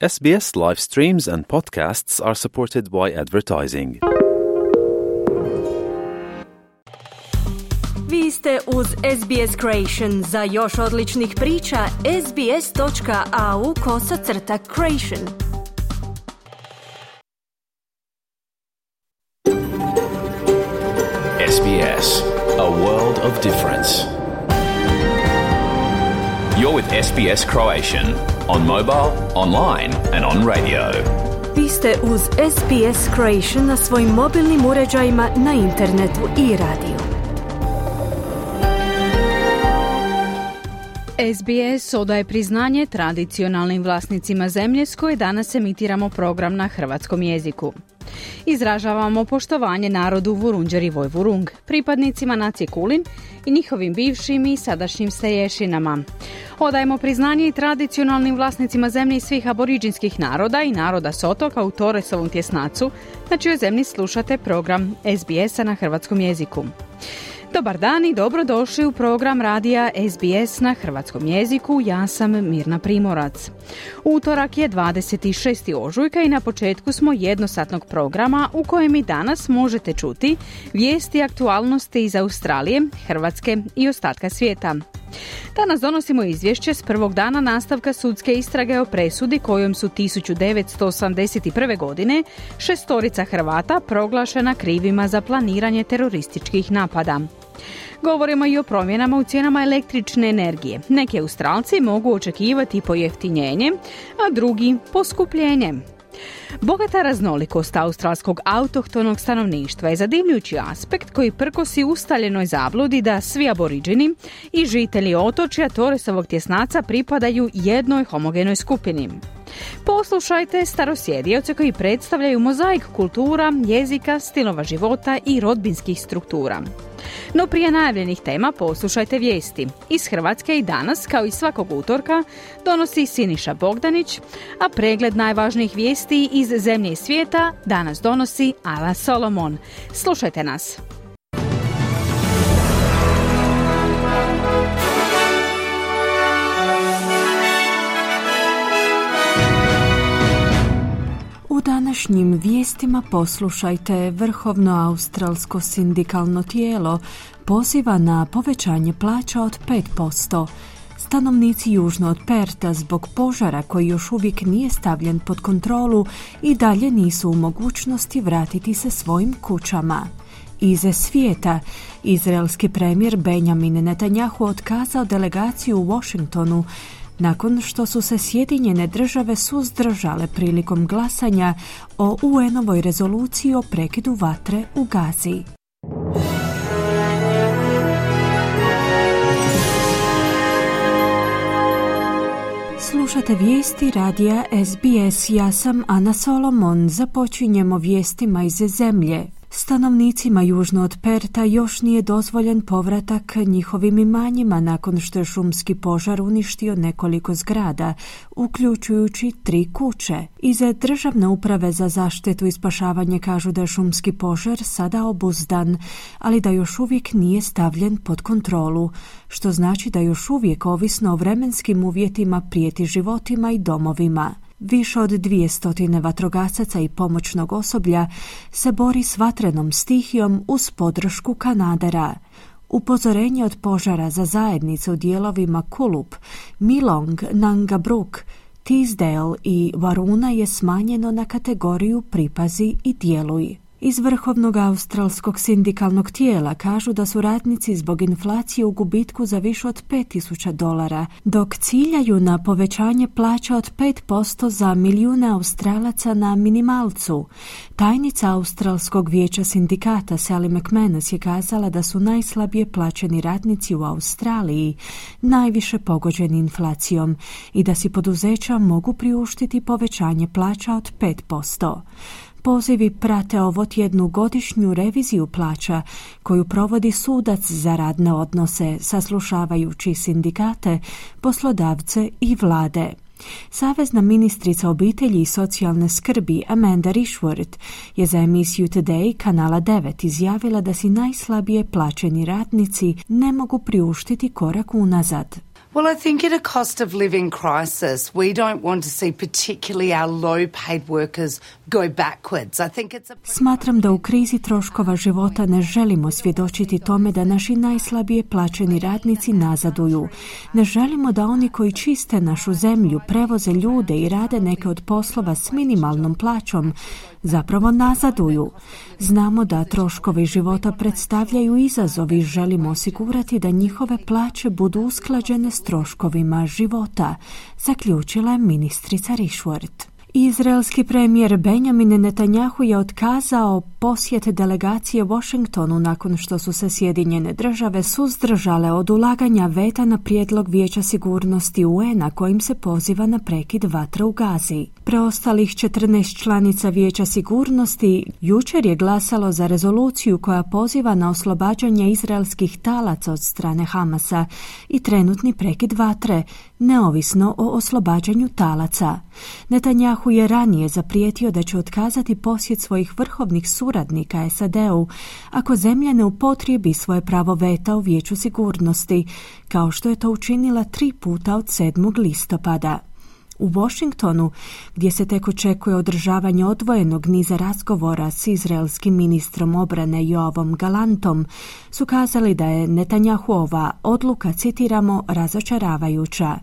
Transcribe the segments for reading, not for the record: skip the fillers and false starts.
SBS live streams and podcasts are supported by advertising. Vi ste uz SBS Creation. Za još odličnih priča, sbs.au/creation. SBS, a world of difference. You're with SBS Croatian on mobile, online and on radio. Vi ste uz SBS Creation na svojim mobilnim uređajima, na internetu i radiju. SBS odaje priznanje tradicionalnim vlasnicima zemlje s koje danas emitiramo program na hrvatskom jeziku. Izražavamo poštovanje narodu Vurundjeri Vojvurung, pripadnicima nacije Kulin i njihovim bivšim i sadašnjim starješinama. Odajemo priznanje i tradicionalnim vlasnicima zemlje svih aboriđinskih naroda i naroda s otoka u Torresovom tjesnacu, na čijoj zemlji slušate program SBS-a na hrvatskom jeziku. Dobar dan i dobrodošli u program radija SBS na hrvatskom jeziku. Ja sam Mirna Primorac. Utorak je 26. ožujka i na početku smo jednosatnog programa u kojem i danas možete čuti vijesti i aktualnosti iz Australije, Hrvatske i ostatka svijeta. Danas donosimo izvješće s prvog dana nastavka sudske istrage o presudi kojom su 1981. godine 6 Hrvata proglašena krivima za planiranje terorističkih napada. Govorimo i o promjenama u cijenama električne energije. Neki Australci mogu očekivati pojeftinjenje, a drugi poskupljenje. Bogata raznolikost australskog autohtonog stanovništva je zadivljujući aspekt koji prkosi ustaljenoj zabludi da svi aboriđini i žitelji otočja Torresovog tjesnaca pripadaju jednoj homogenoj skupini. Poslušajte starosjedioce koji predstavljaju mozaik kultura, jezika, stilova života i rodbinskih struktura. No prije najavljenih tema poslušajte vijesti. Iz Hrvatske i danas, kao i svakog utorka, donosi Siniša Bogdanić, a pregled najvažnijih vijesti iz zemlje i svijeta danas donosi Ala Solomon. Slušajte nas. U današnjim vijestima poslušajte, Vrhovno australsko sindikalno tijelo poziva na povećanje plaća od 5%. Stanovnici južno od Perta zbog požara koji još uvijek nije stavljen pod kontrolu i dalje nisu u mogućnosti vratiti se svojim kućama. Iz svijeta, izraelski premijer Benjamin Netanjahu otkazao delegaciju u Washingtonu nakon što su se Sjedinjene Države suzdržale prilikom glasanja o UN-ovoj rezoluciji o prekidu vatre u Gazi. Slušate vijesti radija SBS. Ja sam Ana Solomon. Započinjemo vijestima iz zemlje. Stanovnicima južno od Perta još nije dozvoljen povratak njihovim imanjima nakon što je šumski požar uništio nekoliko zgrada, uključujući 3 kuće. Iz Državne uprave za zaštitu i spašavanje kažu da je šumski požar sada obuzdan, ali da još uvijek nije stavljen pod kontrolu, što znači da još uvijek, ovisno o vremenskim uvjetima, prijeti životima i domovima. Više od 200 vatrogasaca i pomoćnog osoblja se bori s vatrenom stihijom uz podršku kanadera. Upozorenje od požara za zajednice u dijelovima Kulup, Milong, Nangabruk, Teesdale i Varuna je smanjeno na kategoriju pripazi i djeluj. Iz Vrhovnog australskog sindikalnog tijela kažu da su radnici zbog inflacije u gubitku za više od $5,000, dok ciljaju na povećanje plaća od 5% za milijune Australaca na minimalcu. Tajnica Australskog vijeća sindikata Sally McManus je kazala da su najslabije plaćeni radnici u Australiji najviše pogođeni inflacijom i da si poduzeća mogu priuštiti povećanje plaća od 5%. Pozivi prate ovotjednu godišnju reviziju plaća koju provodi sudac za radne odnose, saslušavajući sindikate, poslodavce i vlade. Savezna ministrica obitelji i socijalne skrbi Amanda Rishworth je za emisiju Today kanala 9 izjavila da si najslabije plaćeni radnici ne mogu priuštiti korak unazad. Well, I think at a cost of living crisis, we don't want to see particularly our low-paid workers go backwards. I think it's Smatram da u krizi troškova života ne želimo svjedočiti tome da naši najslabije plaćeni radnici nazaduju. Ne želimo da oni koji čiste našu zemlju, prevoze ljude i rade neke od poslova s minimalnom plaćom, zapravo nazaduju. Znamo da troškovi života predstavljaju izazov i želimo osigurati da njihove plaće budu usklađene s troškovima života, zaključila je ministrica Rishworth. Izraelski premijer Benjamin Netanjahu je otkazao posjet delegacije Washingtonu nakon što su se Sjedinjene države suzdržale od ulaganja veta na prijedlog Vijeća sigurnosti UN-a kojim se poziva na prekid vatre u Gazi. Preostalih 14 članica Vijeća sigurnosti jučer je glasalo za rezoluciju koja poziva na oslobađanje izraelskih talaca od strane Hamasa i trenutni prekid vatre, neovisno o oslobađanju talaca. Netanjahu je ranije zaprijetio da će otkazati posjet svojih vrhovnih suradnika SAD-u ako zemlja ne upotrijebi svoje pravo veta u Vijeću sigurnosti, kao što je to učinila 3 puta od 7. listopada. U Washingtonu, gdje se tek očekuje održavanje odvojenog niza razgovora s izraelskim ministrom obrane Joavom Galantom, su kazali da je Netanjahuova odluka, citiramo, razočaravajuća.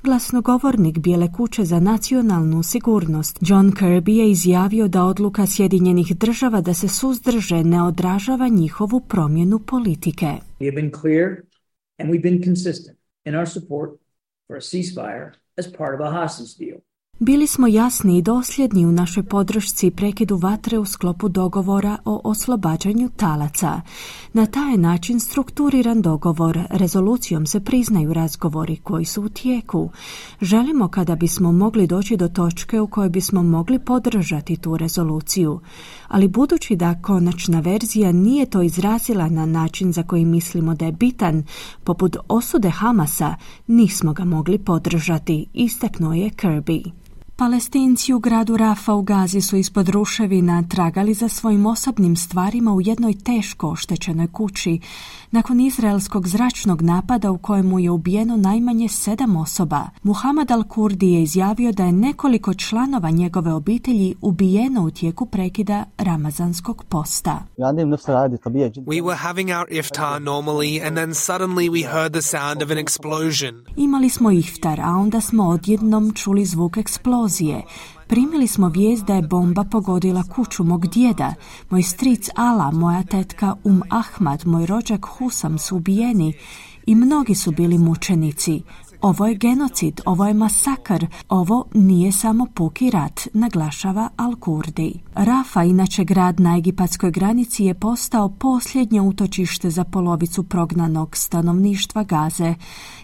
Glasnogovornik Bijele kuće za nacionalnu sigurnost John Kirby je izjavio da odluka Sjedinjenih država da se suzdrže ne odražava njihovu promjenu politike. We have been clear and we've been consistent in our support for a ceasefire as part of a hostage deal. Bili smo jasni i dosljedni u našoj podršci prekidu vatre u sklopu dogovora o oslobađanju talaca. Na taj način strukturiran dogovor, rezolucijom se priznaju razgovori koji su u tijeku. Želimo kada bismo mogli doći do točke u kojoj bismo mogli podržati tu rezoluciju. Ali budući da konačna verzija nije to izrazila na način za koji mislimo da je bitan, poput osude Hamasa, nismo ga mogli podržati, istaknuo je Kirby. Palestinci u gradu Rafa u Gazi su ispod ruševina tragali za svojim osobnim stvarima u jednoj teško oštećenoj kući nakon izraelskog zračnog napada u kojemu je ubijeno najmanje 7 osoba. Muhammad al-Kurdi je izjavio da je nekoliko članova njegove obitelji ubijeno u tijeku prekida ramazanskog posta. We were having our iftar normally and then suddenly we heard the sound of an explosion. Imali smo iftar, a onda smo odjednom čuli zvuk eksplozije. Primili smo vijest da je bomba pogodila kuću mog djeda. Moj stric Ala, moja tetka Ahmad, moj rođak Husam su ubijeni i mnogi su bili mučenici. Ovo je genocid, ovo je masakr, ovo nije samo puki rat, naglašava Al-Kurdi. Rafa, inače grad na egipatskoj granici, je postao posljednje utočište za polovicu prognanog stanovništva Gaze.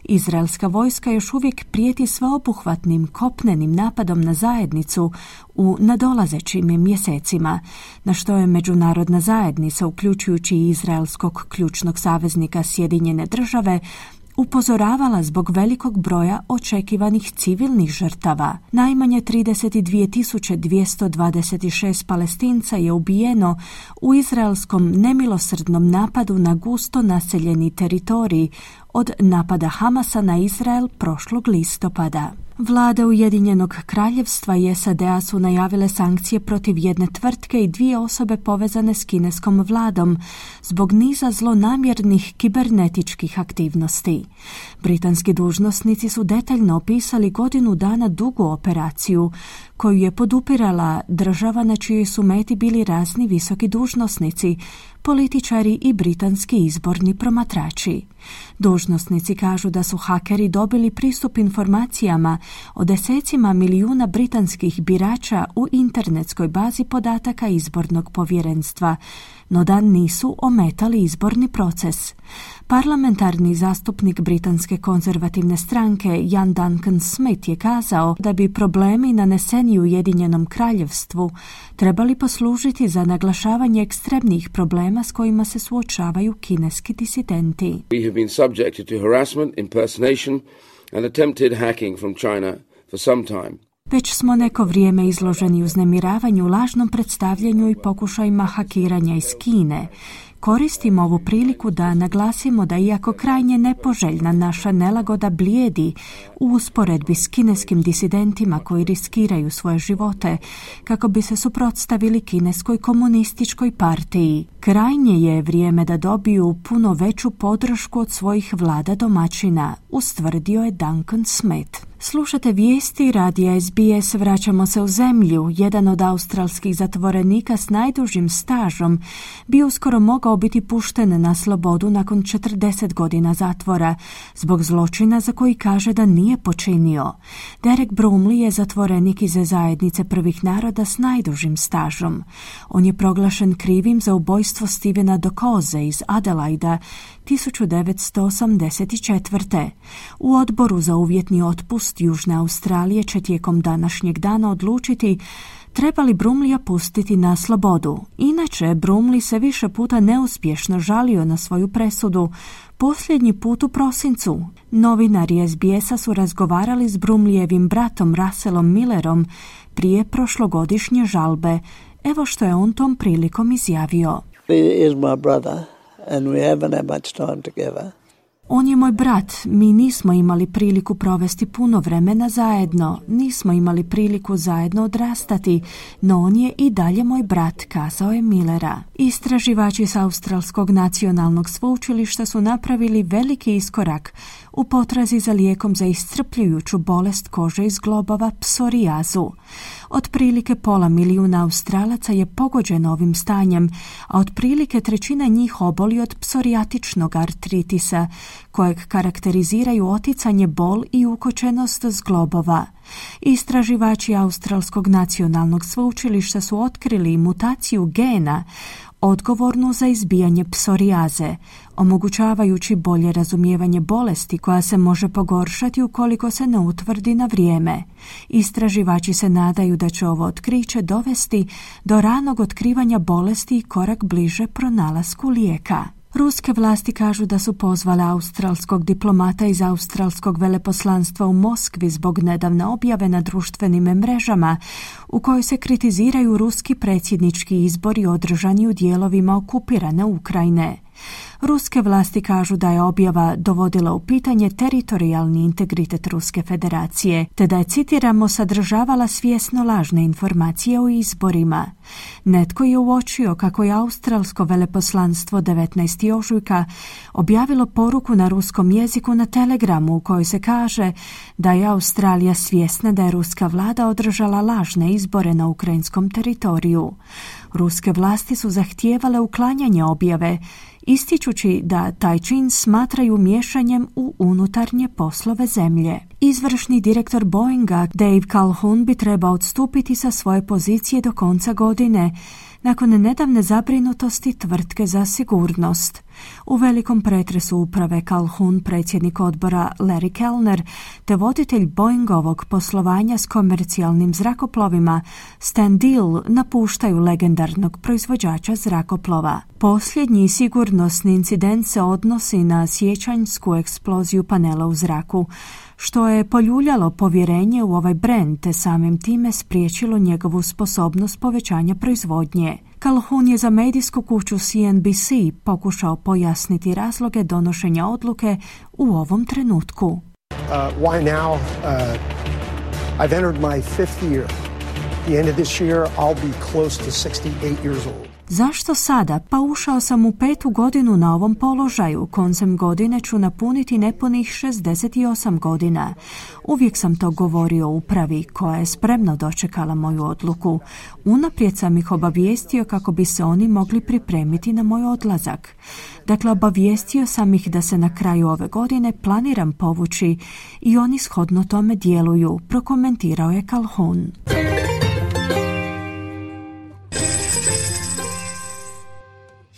Izraelska vojska još uvijek prijeti sveobuhvatnim kopnenim napadom na zajednicu u nadolazećim mjesecima, na što je međunarodna zajednica, uključujući i izraelskog ključnog saveznika Sjedinjene države, upozoravala zbog velikog broja očekivanih civilnih žrtava. Najmanje 32.226 Palestinca je ubijeno u izraelskom nemilosrdnom napadu na gusto naseljeni teritorij od napada Hamasa na Izrael prošlog listopada. Vlade Ujedinjenog kraljevstva i SAD-a su najavile sankcije protiv jedne tvrtke i 2 osobe povezane s kineskom vladom zbog niza zlonamjernih kibernetičkih aktivnosti. Britanski dužnosnici su detaljno opisali godinu dana dugu operaciju koju je podupirala država na čijoj su meti bili razni visoki dužnosnici, političari i britanski izborni promatrači. Dužnosnici kažu da su hakeri dobili pristup informacijama o desecima milijuna britanskih birača u internetskoj bazi podataka izbornog povjerenstva, no da nisu ometali izborni proces. Parlamentarni zastupnik britanske konzervativne stranke Ian Duncan Smith je kazao da bi problemi naneseni Ujedinjenom kraljevstvu trebali poslužiti za naglašavanje ekstremnih problema s kojima se suočavaju kineski disidenti. We have been subjected to harassment, impersonation and attempted hacking from China for some time. Već smo neko vrijeme izloženi uznemiravanju, lažnom predstavljanju i pokušajima hakiranja iz Kine. Koristimo ovu priliku da naglasimo da iako krajnje nepoželjna naša nelagoda blijedi u usporedbi s kineskim disidentima koji riskiraju svoje živote kako bi se suprotstavili kineskoj komunističkoj partiji, krajnje je vrijeme da dobiju puno veću podršku od svojih vlada domaćina, ustvrdio je Duncan Smith. Slušate vijesti radija SBS. Vraćamo se u zemlju. Jedan od australskih zatvorenika s najdužim stažom bi uskoro mogao biti pušten na slobodu nakon 40 godina zatvora zbog zločina za koji kaže da nije počinio. Derek Brumley je zatvorenik iz zajednice prvih naroda s najdužim stažom. On je proglašen krivim za ubojstvo Stevena Dokoze iz Adelaida 1984. U odboru za uvjetni otpust Južne Australije će tijekom današnjeg dana odlučiti treba li Brumleya pustiti na slobodu. Inače, Brumley se više puta neuspješno žalio na svoju presudu, posljednji put u prosincu. Novinari SBS-a su razgovarali s Brumleyevim bratom Russellom Millerom prije prošlogodišnje žalbe. Evo što je on tom prilikom izjavio. He is my brother and we haven't had much time together. On je moj brat, mi nismo imali priliku provesti puno vremena zajedno, nismo imali priliku zajedno odrastati, no on je i dalje moj brat, kazao je Millera. Istraživači s Australskog nacionalnog sveučilišta su napravili veliki iskorak u potrazi za lijekom za iscrpljujuću bolest kože iz globova, psorijazu. Otprilike 500.000 Australaca je pogođeno ovim stanjem, a otprilike 1/3 njih oboli od psorijatičnog artritisa, kojeg karakteriziraju oticanje, bol i ukočenost zglobova. Istraživači Australskog nacionalnog sveučilišta su otkrili mutaciju gena odgovornu za izbijanje psorijaze, omogućavajući bolje razumijevanje bolesti koja se može pogoršati ukoliko se ne utvrdi na vrijeme. Istraživači se nadaju da će ovo otkriće dovesti do ranog otkrivanja bolesti i korak bliže pronalasku lijeka. Ruske vlasti kažu da su pozvale australskog diplomata iz australskog veleposlanstva u Moskvi zbog nedavne objave na društvenim mrežama u kojoj se kritiziraju ruski predsjednički izbori održani u dijelovima okupirane Ukrajine. Ruske vlasti kažu da je objava dovodila u pitanje teritorijalni integritet Ruske federacije, te da je, citiramo, sadržavala svjesno lažne informacije o izborima. Netko je uočio kako je australsko veleposlanstvo 19. ožujka objavilo poruku na ruskom jeziku na Telegramu u kojoj se kaže da je Australija svjesna da je ruska vlada održala lažne izbore na ukrajinskom teritoriju. Ruske vlasti su zahtijevale uklanjanje objave, ističući da taj čin smatraju miješanjem u unutarnje poslove zemlje. Izvršni direktor Boeinga Dave Calhoun bi trebao odstupiti sa svoje pozicije do konca godine, nakon nedavne zabrinutosti tvrtke za sigurnost. U velikom pretresu uprave Calhoun, predsjednik odbora Larry Kellner, te voditelj Boeingovog poslovanja s komercijalnim zrakoplovima Stan Deal napuštaju legendarnog proizvođača zrakoplova. Posljednji sigurnosni incident se odnosi na siječanjsku eksploziju panela u zraku, što je poljuljalo povjerenje u ovaj brend te samim time spriječilo njegovu sposobnost povećanja proizvodnje. Calhoun je za medijsku kuću CNBC pokušao pojasniti razloge donošenja odluke u ovom trenutku. Why now? I've entered my 5th year. The end of this year I'll be close to 68 years old. Zašto sada? Pa ušao sam u 5. godinu na ovom položaju. Koncem godine ću napuniti nepunih 68 godina. Uvijek sam to govorio upravi koja je spremno dočekala moju odluku. Unaprijed sam ih obavijestio kako bi se oni mogli pripremiti na moj odlazak. Dakle, obavijestio sam ih da se na kraju ove godine planiram povući i oni shodno tome djeluju, prokomentirao je Calhoun.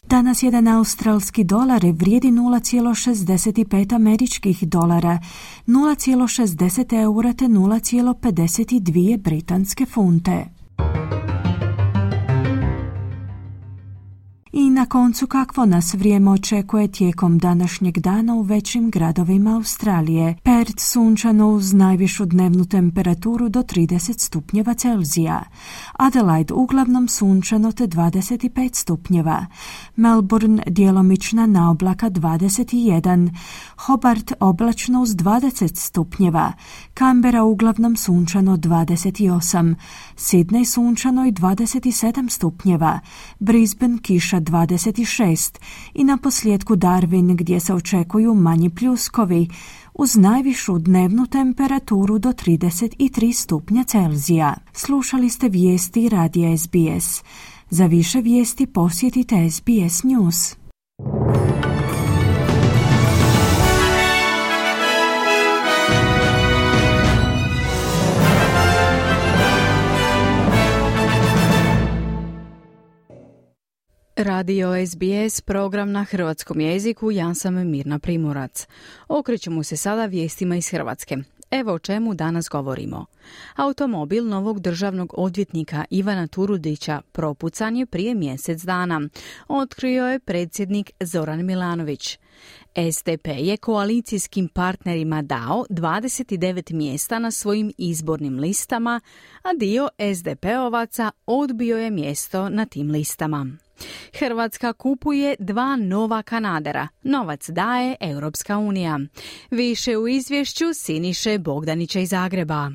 Danas jedan australski dolar vrijedi 0,65 američkih dolara, 0,60 eura te 0,52 britanske funte. I na Na koncu, kakvo nas vrijeme očekuje tijekom današnjeg dana u većim gradovima Australije? Perth sunčano uz najvišu dnevnu temperaturu do 30 stupnjeva Celzija. Adelaide uglavnom sunčano te 25 stupnjeva. Melbourne djelomična naoblaka 21. Hobart oblačno uz 20 stupnjeva. Canberra uglavnom sunčano 28. Sydney sunčano i 27 stupnjeva. Brisbane kiša 26 i na posljedku Darwin gdje se očekuju manji pljuskovi uz najvišu dnevnu temperaturu do 33 stupnja Celzija. Slušali ste vijesti radija SBS. Za više vijesti posjetite SBS News. Radio SBS, program na hrvatskom jeziku, ja sam Mirna Primorac. Okrećemo se sada vijestima iz Hrvatske. Evo o čemu danas govorimo. Automobil novog državnog odvjetnika Ivana Turudića propucan je prije mjesec dana. Otkrio je predsjednik Zoran Milanović. SDP je koalicijskim partnerima dao 29 mjesta na svojim izbornim listama, a dio SDP-ovaca odbio je mjesto na tim listama. Hrvatska kupuje 2 nova kanadera. Novac daje Europska unija. Više u izvješću Siniše Bogdanića iz Zagreba.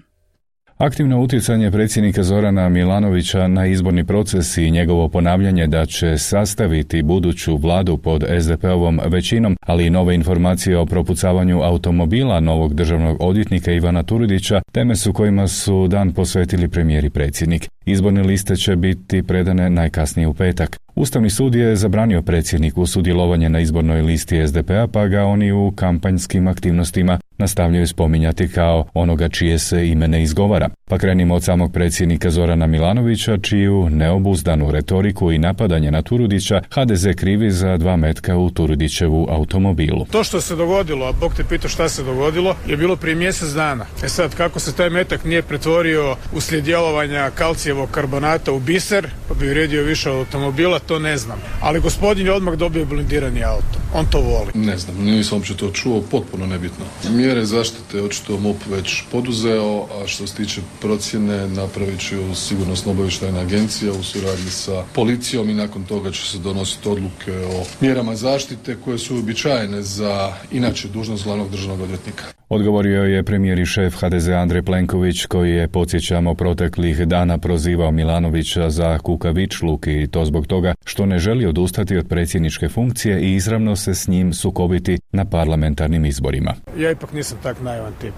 Aktivno utjecanje predsjednika Zorana Milanovića na izborni proces i njegovo ponavljanje da će sastaviti buduću vladu pod SDP-ovom većinom, ali i nove informacije o propucavanju automobila novog državnog odvjetnika Ivana Turudića, teme su kojima su dan posvetili premijer i predsjednik. Izborne liste će biti predane najkasnije u petak. Ustavni sud je zabranio predsjedniku sudjelovanje na izbornoj listi SDP-a, pa ga oni u kampanjskim aktivnostima nastavljaju spominjati kao onoga čije se ime ne izgovara. Pa krenimo od samog predsjednika Zorana Milanovića, čiju neobuzdanu retoriku i napadanje na Turudića HDZ krivi za 2 metka u Turudićevu automobilu. To što se dogodilo, a Bog te pita šta se dogodilo, je bilo prije mjesec dana. Sad, kako se taj metak nije pretvorio uslijed djelovanja kalcijevog karbonata u biser, pa bi vrijedio više od automobila, to ne znam. Ali gospodin je odmah dobio blindirani auto. On to voli. Ne znam, nisam uopće to čuo, potpuno nebitno. Mjere zaštite očito MUP već poduzeo, a što se tiče procjene napravit će Sigurnosno-obavještajna agencija u suradnji sa policijom i nakon toga će se donositi odluke o mjerama zaštite koje su uobičajene za inače dužnost glavnog državnog odvjetnika. Odgovorio je premijer i šef HDZ Andrej Plenković, koji je, podsjećamo, proteklih dana prozivao Milanovića za kukavičluk i to zbog toga što ne želi odustati od predsjedničke funkcije i izravno se s njim sukobiti na parlamentarnim izborima. Ja ipak nisam tak naivan tip.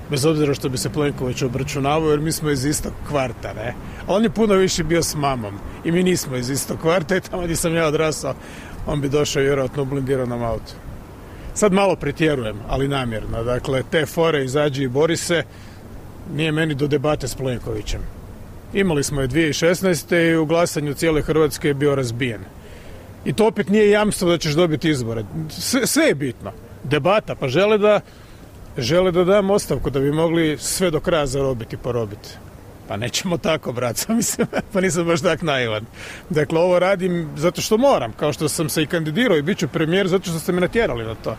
Bez obzira što bi se Plenković obračunavao, jer mi smo iz istog kvarta, ne? A on je puno više bio s mamom i mi nismo iz istog kvarta i tamo gdje sam ja odrasao, on bi došao vjerojatno u blindiranom autu. Sad malo pretjerujem, ali namjerno. Dakle, te fore izađi i bori se, nije meni do debate s Plenkovićem. Imali smo je 2016. i u glasanju cijele Hrvatske je bio razbijen. I to opet nije jamstvo da ćeš dobiti izbore. Sve je bitno. Debata, pa žele da dam ostavku da bi mogli sve do kraja zarobiti i porobiti. Pa nećemo tako, brat, mislim, pa nisam baš tak naivan. Dakle, ovo radim zato što moram, kao što sam se i kandidirao i bit ću premijer zato što ste me natjerali na to.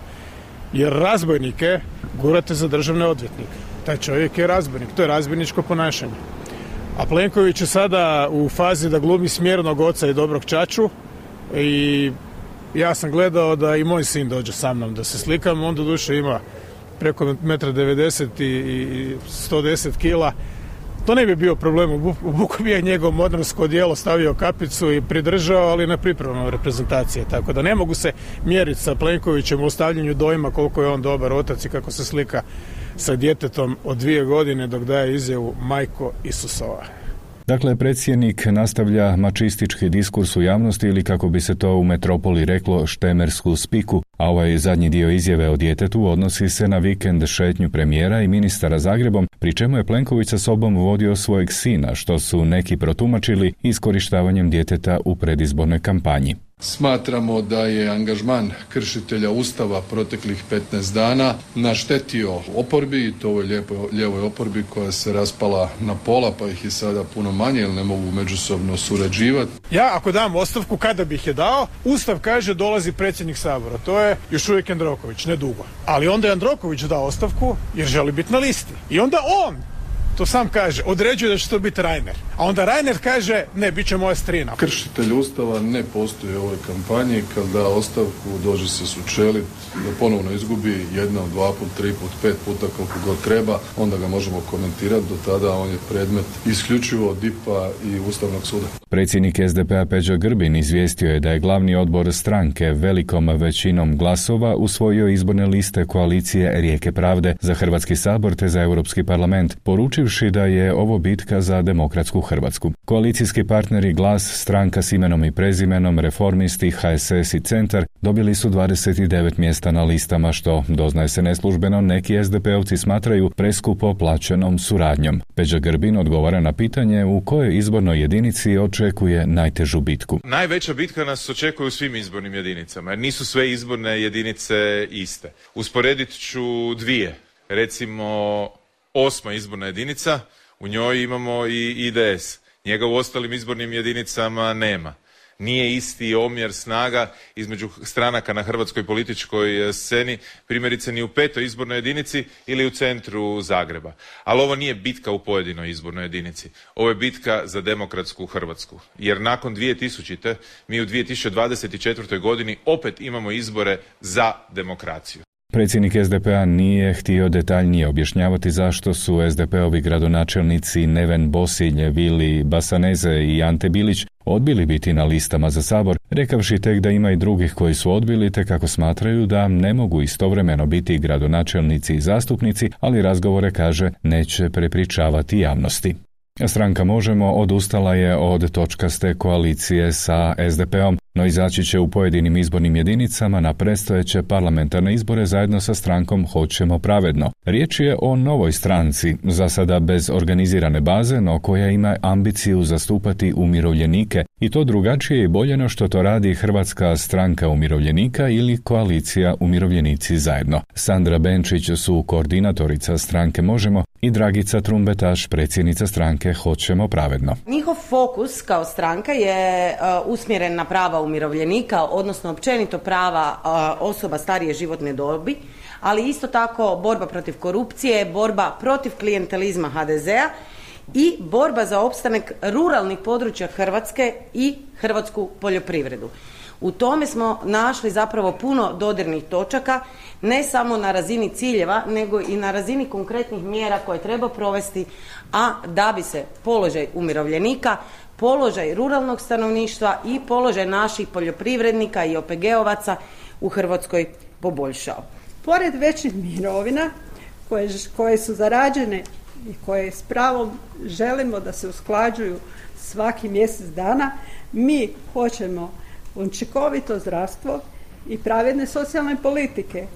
Jer razbojnike gurate za državne odvjetnike. Taj čovjek je razbojnik, to je razbojničko ponašanje. A Plenković je sada u fazi da glumi smjernog oca i dobrog ćaću i ja sam gledao da i moj sin dođe sa mnom da se slikam, on doduše ima preko 1,90 m i 110 kila. To ne bi bio problem, u Buku bi je njegov modernsko odijelo stavio kapicu i pridržao, ali na pripremama reprezentacije. Tako da ne mogu se mjeriti sa Plenkovićem u ostavljanju dojma koliko je on dobar otac i kako se slika sa djetetom od 2 godine dok daje izjavu Majko Isusova. Dakle, predsjednik nastavlja mačistički diskurs u javnosti ili kako bi se to u metropoli reklo štemersku spiku, a ovaj zadnji dio izjave o djetetu odnosi se na vikend šetnju premijera i ministara Zagrebom, pri čemu je Plenković sa sobom vodio svojeg sina, što su neki protumačili iskorištavanjem djeteta u predizbornoj kampanji. Smatramo da je angažman kršitelja Ustava proteklih 15 dana naštetio oporbi, i to ovoj lijevoj oporbi koja se raspala na pola, pa ih je sada puno manje jer ne mogu međusobno surađivati. Ja ako dam ostavku, kada bih je dao, Ustav kaže dolazi predsjednik Sabora. To je još uvijek Jandroković, ne dugo. Ali onda je Jandroković dao ostavku jer želi biti na listi. I onda on, to sam kaže, određuje da će to biti Reiner. A onda Reiner kaže, ne, bit će moja strina. Kršitelj Ustava ne postoji u ovoj kampanji. Kad da ostavku, dođe se sučelit, da ponovno izgubi jednom, 2 put, 3 put, 5 puta, koliko god treba, onda ga možemo komentirati. Do tada on je predmet isključivo DIP-a i Ustavnog suda. Predsjednik SDP-a Peđa Grbin izvijestio je da je glavni odbor stranke velikom većinom glasova usvojio izborne liste koalicije Rijeke pravde za Hrvatski sabor te za Europski parlament, poručivši da je ovo bitka za demokratsku Hrvatsku. Koalicijski partneri Glas, Stranka s imenom i prezimenom, Reformisti, HSS i Centar dobili su 29 mjesta na listama, što, doznaje se neslužbeno, neki SDP-ovci smatraju preskupo plaćenom suradnjom. Peđa Grbin odgovara na pitanje u kojoj izbornoj jedinici očekuje najtežu bitku. Najveća bitka nas očekuje u svim izbornim jedinicama, jer nisu sve izborne jedinice iste. Usporedit ću dvije. Recimo, 8. izborna jedinica, u njoj imamo i IDS. Njega u ostalim izbornim jedinicama nema. Nije isti omjer snaga između stranaka na hrvatskoj političkoj sceni, primjerice ni u 5. izbornoj jedinici ili u centru Zagreba. Ali ovo nije bitka u pojedinoj izbornoj jedinici. Ovo je bitka za demokratsku Hrvatsku. Jer nakon 2000. mi u 2024. godini opet imamo izbore za demokraciju. Predsjednik SDP-a nije htio detaljnije objašnjavati zašto su SDP-ovi gradonačelnici Neven Bosilj, Vili Basaneze i Ante Bilić odbili biti na listama za Sabor, rekavši tek da ima i drugih koji su odbili, te kako smatraju da ne mogu istovremeno biti gradonačelnici i zastupnici, ali razgovore, kaže, neće prepričavati javnosti. Stranka Možemo odustala je od točkaste koalicije sa SDP-om, no izaći će u pojedinim izbornim jedinicama na predstojeće parlamentarne izbore zajedno sa strankom Hoćemo pravedno. Riječ je o novoj stranci, za sada bez organizirane baze, no koja ima ambiciju zastupati umirovljenike, i to drugačije i bolje no što to radi Hrvatska stranka umirovljenika ili koalicija Umirovljenici zajedno. Sandra Benčić su koordinatorica stranke Možemo i Dragica Trumbetaš, predsjednica stranke Hoćemo pravedno. Njihov fokus kao stranka je usmjeren na prava umirovljenika, odnosno općenito prava osoba starije životne dobi, ali isto tako borba protiv korupcije, borba protiv klijentelizma HDZ-a i borba za opstanak ruralnih područja Hrvatske i hrvatsku poljoprivredu. U tome smo našli zapravo puno dodirnih točaka, ne samo na razini ciljeva, nego i na razini konkretnih mjera koje treba provesti, a da bi se položaj umirovljenika, položaj ruralnog stanovništva i položaj naših poljoprivrednika i OPG-ovaca u Hrvatskoj poboljšao. Pored većih mirovina koje su zarađene i koje s pravom želimo da se usklađuju svaki mjesec dana, mi hoćemo učinkovito zdravstvo i pravedne socijalne politike.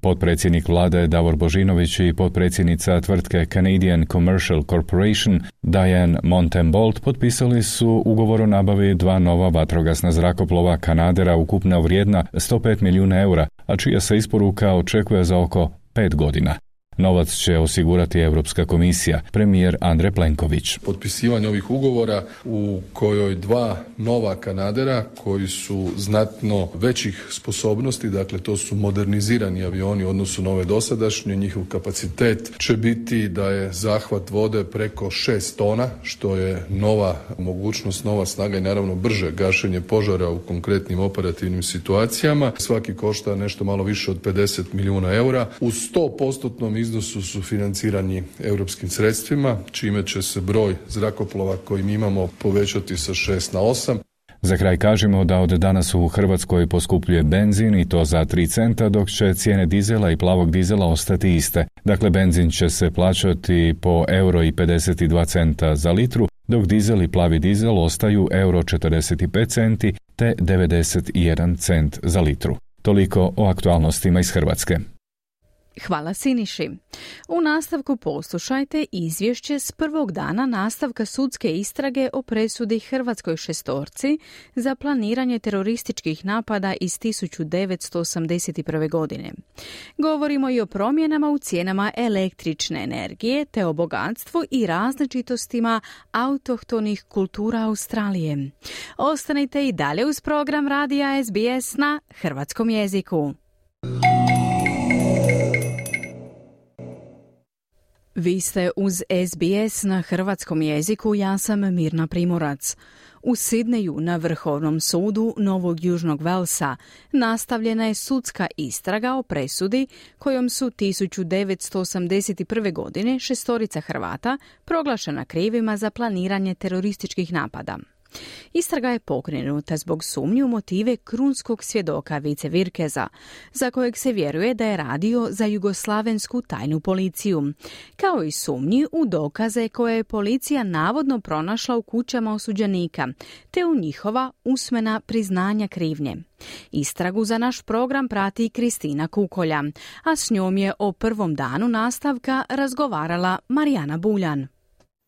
Potpredsjednik vlade Davor Božinović i potpredsjednica tvrtke Canadian Commercial Corporation Diane Montembold potpisali su ugovor o nabavi 2 nova vatrogasna zrakoplova Canadera ukupno vrijedna 105 milijuna eura, a čija se isporuka očekuje za oko 5 godina. Novac će osigurati Europska komisija, premijer Andrej Plenković. Potpisivanje ovih ugovora u kojoj 2 nova Canadera koji su znatno većih sposobnosti, dakle to su modernizirani avioni u odnosu na ove dosadašnje, njihov kapacitet će biti da je zahvat vode preko 6 tona, što je nova mogućnost, nova snaga i naravno brže gašenje požara u konkretnim operativnim situacijama. Svaki košta nešto malo više od 50 milijuna eura. U 100% iznosu su financirani europskim sredstvima, čime će se broj zrakoplova koji mi imamo povećati sa 6 na 8. Za kraj kažemo da od danas u Hrvatskoj poskupljuje benzin i to za 3 centa, dok će cijene dizela i plavog dizela ostati iste. Dakle, benzin će se plaćati po €1,52 za litru, dok dizel i plavi dizel ostaju €45 te 91 cent za litru. Toliko o aktualnostima iz Hrvatske. Hvala Siniši. U nastavku poslušajte izvješće s prvog dana nastavka sudske istrage o presudi hrvatskoj šestorci za planiranje terorističkih napada iz 1981. godine. Govorimo i o promjenama u cijenama električne energije te o bogatstvu i različitostima autohtonih kultura Australije. Ostanite i dalje uz program radija SBS na hrvatskom jeziku. Vi ste uz SBS na hrvatskom jeziku, ja sam Mirna Primorac. U Sidneju na Vrhovnom sudu Novog Južnog Velsa nastavljena je sudska istraga o presudi kojom su 1981. godine šestorica Hrvata proglašena krivima za planiranje terorističkih napada. Istraga je pokrenuta zbog sumnji u motive krunskog svjedoka Vice Virkeza, za kojeg se vjeruje da je radio za jugoslavensku tajnu policiju, kao i sumnji u dokaze koje je policija navodno pronašla u kućama osuđenika, te u njihova usmena priznanja krivnje. Istragu za naš program prati Kristina Kukolja, a s njom je o prvom danu nastavka razgovarala Marijana Buljan.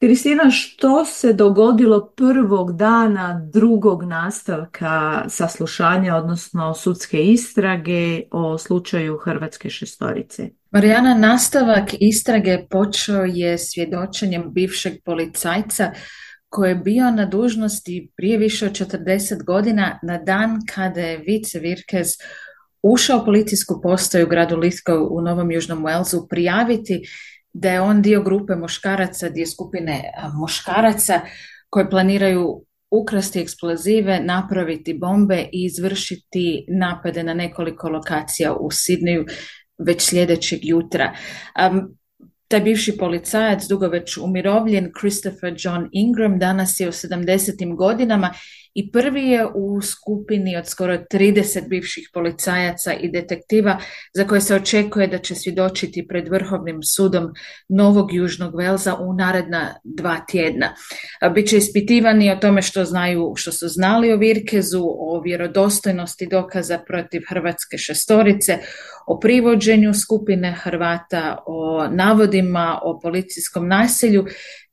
Kristina, što se dogodilo prvog dana drugog nastavka saslušanja, odnosno sudske istrage o slučaju hrvatske šestorice? Marijana, nastavak istrage počeo je svjedočenjem bivšeg policajca koji je bio na dužnosti prije više od 40 godina na dan kada je Vice Virkez ušao u policijsku postaju u gradu Lithgow u Novom Južnom Walesu prijaviti da je on dio grupe muškaraca, dio skupine muškaraca koji planiraju ukrasti eksplozive, napraviti bombe i izvršiti napade na nekoliko lokacija u Sidneju već sljedećeg jutra. Taj bivši policajac, dugo već umirovljen, Christopher John Ingram, danas je u 70. godinama i prvi je u skupini od skoro 30 bivših policajaca i detektiva za koje se očekuje da će svjedočiti pred Vrhovnim sudom Novog Južnog Velsa u naredna 2 tjedna. Biće ispitivani o tome što su znali o Virkezu, o vjerodostojnosti dokaza protiv hrvatske šestorice, o privođenju skupine Hrvata, o navodima o policijskom nasilju,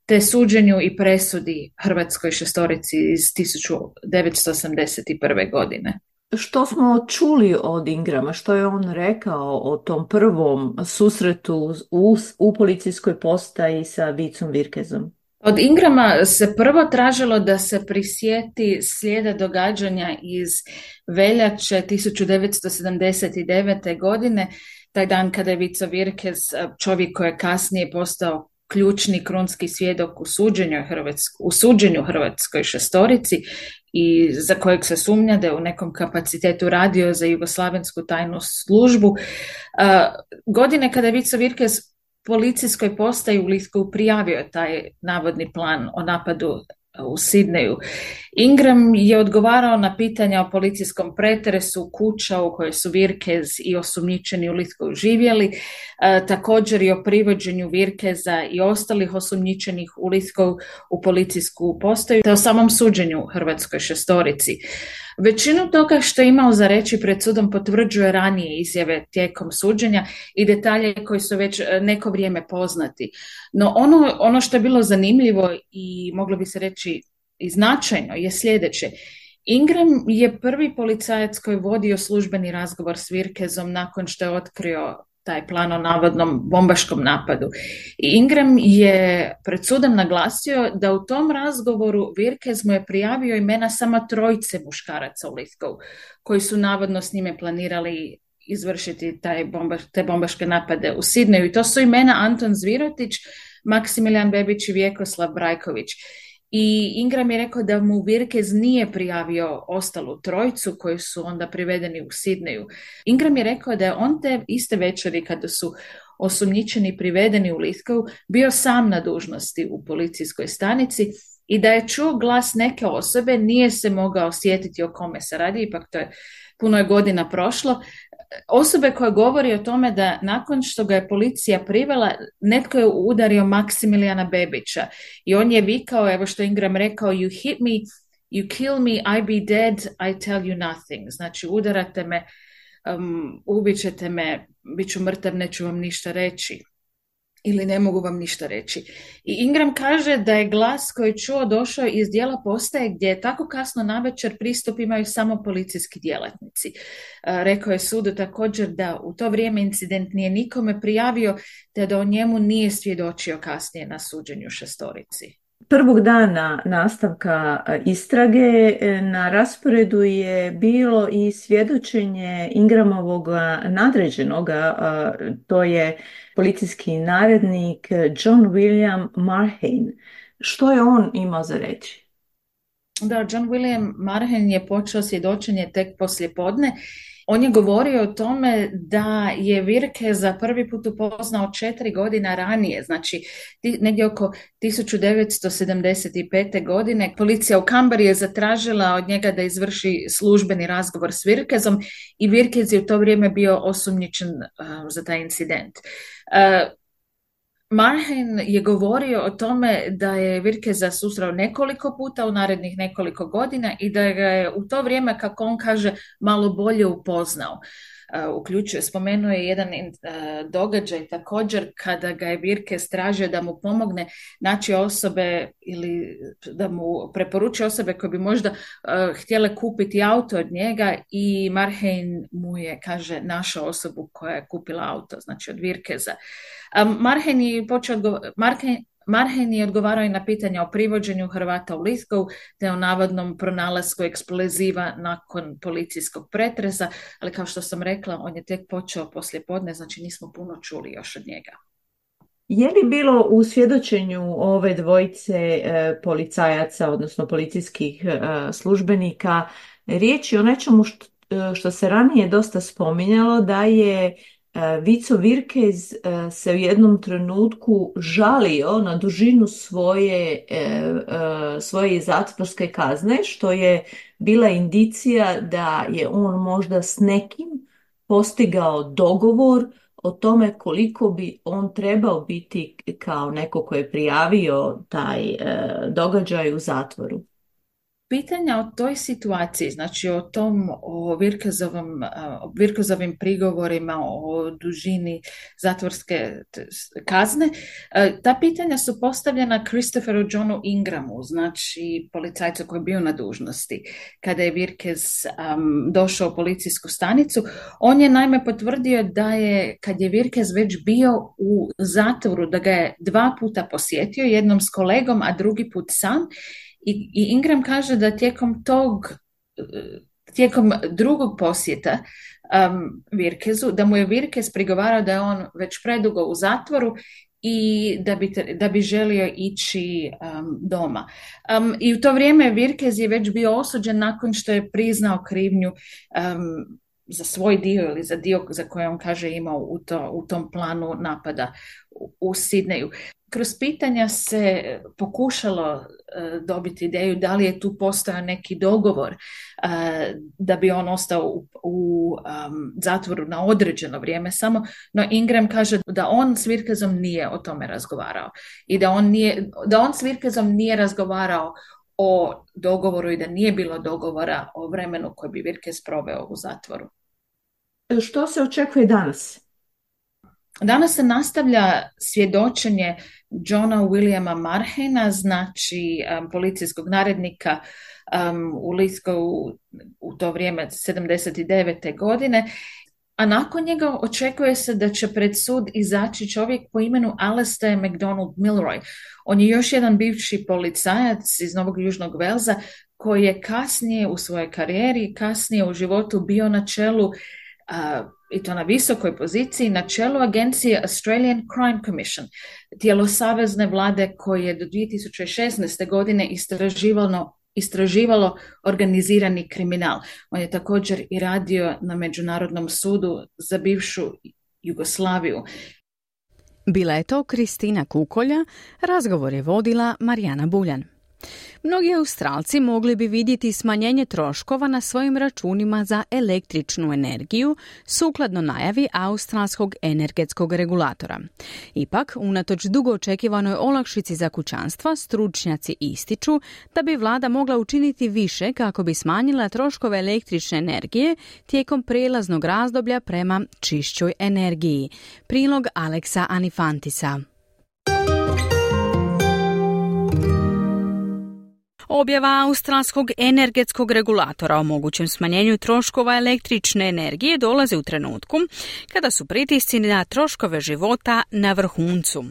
te suđenju i presudi hrvatskoj šestorici iz 1981. godine. Što smo čuli od Ingrama? Što je on rekao o tom prvom susretu u policijskoj postaji sa Vicom Virkezom? Od Ingrama se prvo tražilo da se prisjeti slijeda događanja iz veljače 1979. godine, taj dan kada je Vico Virkez, čovjek koji je kasnije postao ključni krunski svjedok u suđenju hrvatskoj šestorici i za kojeg se sumnja da je u nekom kapacitetu radio za jugoslavensku tajnu službu. Godine kada je Vico Virkez policijskoj postaji u Lithgow prijavio taj navodni plan o napadu u Sidneju. Ingram je odgovarao na pitanja o policijskom pretresu kuća u kojoj su Virkez i osumnjičeni u Lithgow živjeli, također i o privođenju Virkeza i ostalih osumnjičenih u Lithgow u policijsku postaju, te o samom suđenju hrvatskoj šestorici. Većinu toga što je imao za reći pred sudom potvrđuje ranije izjave tijekom suđenja i detalje koji su već neko vrijeme poznati. No ono što je bilo zanimljivo i moglo bi se reći i značajno je sljedeće. Ingram je prvi policajac koji je vodio službeni razgovor s Virkezom nakon što je otkrio taj plan o navodnom bombaškom napadu. I Ingram je pred sudom naglasio da u tom razgovoru Virkez mu je prijavio imena samo 3 muškaraca u Lithgow, koji su navodno s njime planirali izvršiti te bombaške napade u Sidneju. I to su imena Anton Zvirotić, Maksimilijan Bebić i Vjekoslav Brajković. I Ingram je rekao da mu Virkez nije prijavio ostalu 3 koji su onda privedeni u Sidneju. Ingram je rekao da je on te iste večeri kada su osumnjičeni privedeni u Lithgow bio sam na dužnosti u policijskoj stanici i da je čuo glas neke osobe, nije se mogao sjetiti o kome se radi, ipak puno je godina prošlo, osobe koja govori o tome da nakon što ga je policija privela, netko je udario Maksimilijana Bebića i on je vikao, evo što Ingram rekao, you hit me, you kill me, I be dead, I tell you nothing. Znači udarate me, ubit ćete me, bit ću mrtav, neću vam ništa reći. Ili ne mogu vam ništa reći. I Ingram kaže da je glas koji je čuo došao iz dijela postaje gdje je tako kasno navečer pristup imaju samo policijski djelatnici. Rekao je sudu također da u to vrijeme incident nije nikome prijavio, te da o njemu nije svjedočio kasnije na suđenju šestorici. Prvog dana nastavka istrage na rasporedu je bilo i svjedočenje Ingramovog nadređenoga, to je policijski narednik John William Marhain. Što je on imao za reći? Da, John William Marhain je počeo svjedočenje tek poslijepodne. On je govorio o tome da je Virkeza prvi put upoznao 4 godina ranije, znači negdje oko 1975. godine. Policija u Canberri je zatražila od njega da izvrši službeni razgovor s Virkezom i Virkez je u to vrijeme bio osumnjičen za taj incident. Marhain je govorio o tome da je Virkeza susreo nekoliko puta u narednih nekoliko godina i da ga je u to vrijeme, kako on kaže, malo bolje upoznao. Spomenuo je jedan događaj također kada ga je Virkez tražio da mu pomogne naći osobe ili da mu preporuči osobe koje bi možda htjele kupiti auto od njega i Marhain mu je, kaže, našao osobu koja je kupila auto, znači od Virkeza. Marhain je odgovarao i na pitanja o privođenju Hrvata u Lithgow te o navodnom pronalasku eksploziva nakon policijskog pretresa, ali kao što sam rekla, on je tek počeo poslijepodne, znači nismo puno čuli još od njega. Je li bilo u svjedočenju ove dvojice policajaca, odnosno policijskih službenika, riječi o nečemu što se ranije dosta spominjalo, da je Vico Virkez se u jednom trenutku žalio na dužinu svoje zatvorske kazne, što je bila indicija da je on možda s nekim postigao dogovor o tome koliko bi on trebao biti kao neko ko je prijavio taj događaj u zatvoru. Pitanja o toj situaciji, znači o Virkezovim prigovorima, o dužini zatvorske kazne, ta pitanja su postavljena Christopheru Johnu Ingramu, znači policajcu koji je bio na dužnosti. Kada je Virkez došao u policijsku stanicu, on je naime potvrdio da je, kad je Virkez već bio u zatvoru, da ga je 2 puta posjetio, jednom s kolegom, a drugi put sam. I Ingram kaže da tijekom drugog posjeta Virkezu, da mu je Virkez prigovarao da je on već predugo u zatvoru i da bi želio ići doma. I u to vrijeme Virkez je već bio osuđen nakon što je priznao krivnju za svoj dio ili za dio za koje on kaže imao u tom planu napada u Sidneju. Kroz pitanja se pokušalo dobiti ideju da li je tu postojao neki dogovor da bi on ostao u zatvoru na određeno vrijeme samo, no Ingram kaže da on s Virkezom nije o tome razgovarao i da on s Virkezom nije razgovarao o dogovoru i da nije bilo dogovora o vremenu koji bi Virkez proveo u zatvoru. Što se očekuje danas? Danas se nastavlja svjedočenje Johna Williama Marhaina, znači policijskog narednika u Lithgow u to vrijeme 79. godine, a nakon njega očekuje se da će pred sud izaći čovjek po imenu Alastair MacDonald Milroy. On je još jedan bivši policajac iz Novog Južnog Velsa koji je kasnije u svojoj karijeri, kasnije u životu bio na čelu i to na visokoj poziciji, na čelu agencije Australian Crime Commission, tijelo savezne vlade koje je do 2016. godine istraživalo organizirani kriminal. On je također i radio na Međunarodnom sudu za bivšu Jugoslaviju. Bila je to Kristina Kukolja, razgovor je vodila Marijana Buljan. Mnogi Australci mogli bi vidjeti smanjenje troškova na svojim računima za električnu energiju sukladno najavi australskog energetskog regulatora. Ipak, unatoč dugo očekivanoj olakšici za kućanstva, stručnjaci ističu da bi vlada mogla učiniti više kako bi smanjila troškove električne energije tijekom prijelaznog razdoblja prema čišćoj energiji. Prilog Aleksa Anifantisa. Objava australskog energetskog regulatora o mogućem smanjenju troškova električne energije dolazi u trenutku kada su pritisci na troškove života na vrhuncu.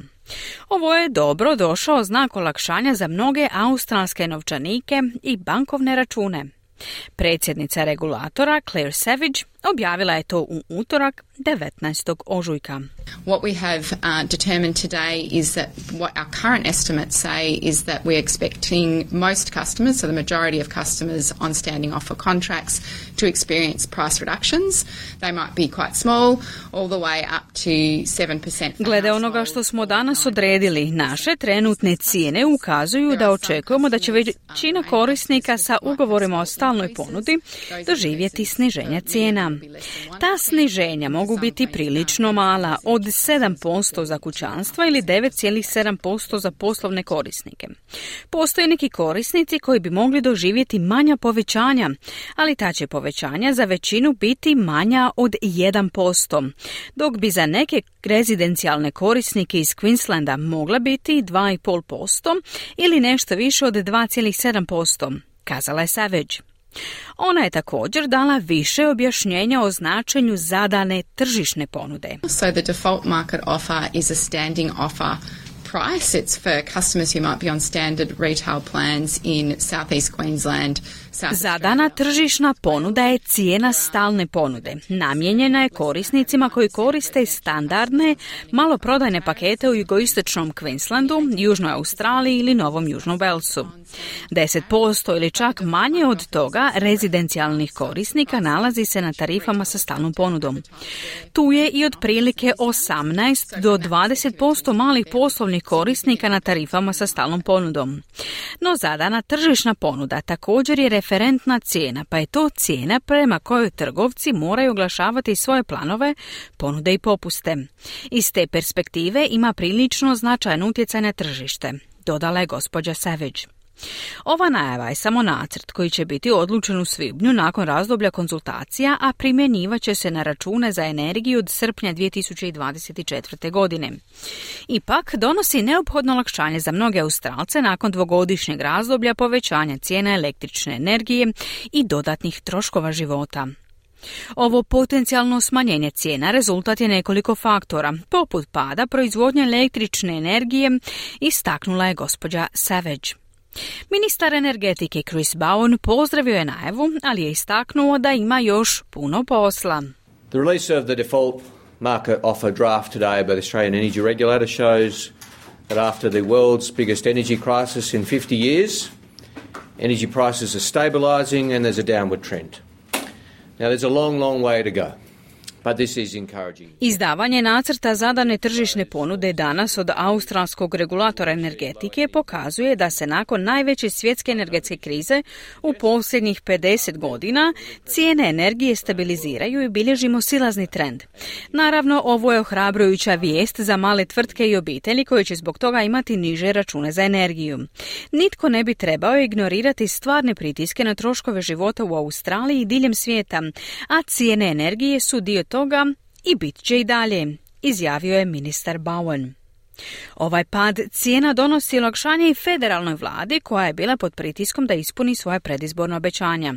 Ovo je dobro došao znak olakšanja za mnoge australske novčanike i bankovne račune. Predsjednica regulatora Claire Savage objavila je to u utorak 19. ožujka. What we have determined today is that what our current estimates say is that we're expecting most customers, so the majority of customers on standing offer contracts, to experience price reductions. They might be quite small, all the way up to 7%. Glede onoga što smo danas odredili, naše trenutne cijene ukazuju da očekujemo da će većina korisnika sa ugovorima o stalnoj ponudi doživjeti sniženja cijena. Ta sniženja mogu biti prilično mala, od 7% za kućanstva ili 9,7% za poslovne korisnike. Postoje neki korisnici koji bi mogli doživjeti manja povećanja, ali ta će povećanja za većinu biti manja od 1%, dok bi za neke rezidencijalne korisnike iz Queenslanda mogla biti 2,5% ili nešto više od 2,7%, kazala je Savage. Ona je također dala više objašnjenja o značenju zadane tržišne ponude. So the default market offer is a standing offer price. It's for customers who might be on standard retail plans in Southeast Queensland. Zadana tržišna ponuda je cijena stalne ponude. Namijenjena je korisnicima koji koriste standardne maloprodajne pakete u jugoistočnom Queenslandu, Južnoj Australiji ili Novom Južnom Walesu. 10% ili čak manje od toga rezidencijalnih korisnika nalazi se na tarifama sa stalnom ponudom. Tu je i otprilike 18 do 20% malih poslovnih korisnika na tarifama sa stalnom ponudom. No zadana tržišna ponuda također je referentna cijena, pa je to cijena prema kojoj trgovci moraju oglašavati svoje planove, ponude i popuste. Iz te perspektive ima prilično značajan utjecaj na tržište, dodala je gospođa Savage. Ova najava je samo nacrt koji će biti odlučen u svibnju nakon razdoblja konzultacija, a primjenjivat će se na račune za energiju od srpnja 2024. godine. Ipak donosi neophodno olakšanje za mnoge Australce nakon dvogodišnjeg razdoblja povećanja cijena električne energije i dodatnih troškova života. Ovo potencijalno smanjenje cijena rezultat je nekoliko faktora, poput pada proizvodnje električne energije, istaknula je gospođa Savage. Ministar energetike Chris Bowen pozdravio je najavu, ali je istaknuo da ima još puno posla. The release of the default market offer draft today by the Australian Energy Regulator shows that after the world's biggest energy crisis in 50 years, energy prices are stabilising and there's a downward trend. Now there's a long, long way to go. But this is encouraging. Izdavanje nacrta zadane tržišne ponude danas od australskog regulatora energetike pokazuje da se nakon najveće svjetske energetske krize u posljednjih 50 godina cijene energije stabiliziraju i bilježimo silazni trend. Naravno, ovo je ohrabrujuća vijest za male tvrtke i obitelji koji će zbog toga imati niže račune za energiju. Nitko ne bi trebao ignorirati stvarne pritiske na troškove života u Australiji i diljem svijeta, a cijene energije su dio toga i bit će i dalje, izjavio je ministar Bowen. Ovaj pad cijena donosi olakšanje i federalnoj vladi koja je bila pod pritiskom da ispuni svoje predizborna obećanja.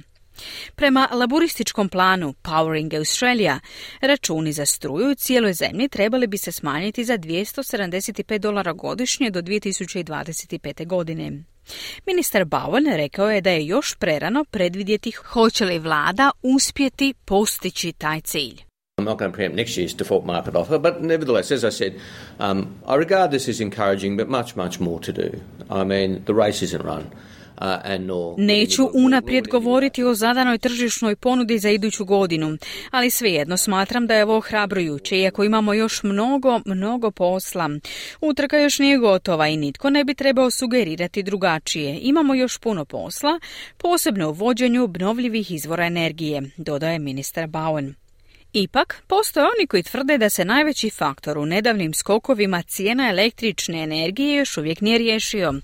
Prema laburističkom planu Powering Australia, računi za struju u cijeloj zemlji trebali bi se smanjiti za $275 godišnje do 2025. godine. Ministar Bowen rekao je da je još prerano predvidjeti hoće li vlada uspjeti postići taj cilj. I'm not going to preempt next year's default market offer, but nevertheless, as I said, I regard this as encouraging, but much, much more to do. I mean, the race isn't run. Neću unaprijed govoriti o zadanoj tržišnoj ponudi za iduću godinu, ali svejedno smatram da je ovo ohrabrujuće, iako imamo još mnogo posla. Utrka još nije gotova i nitko ne bi trebao sugerirati drugačije. Imamo još puno posla, posebno u vođenju obnovljivih izvora energije, dodaje ministar Bowen. Ipak, postoje oni koji tvrde da se najveći faktor u nedavnim skokovima cijena električne energije još uvijek nije riješio.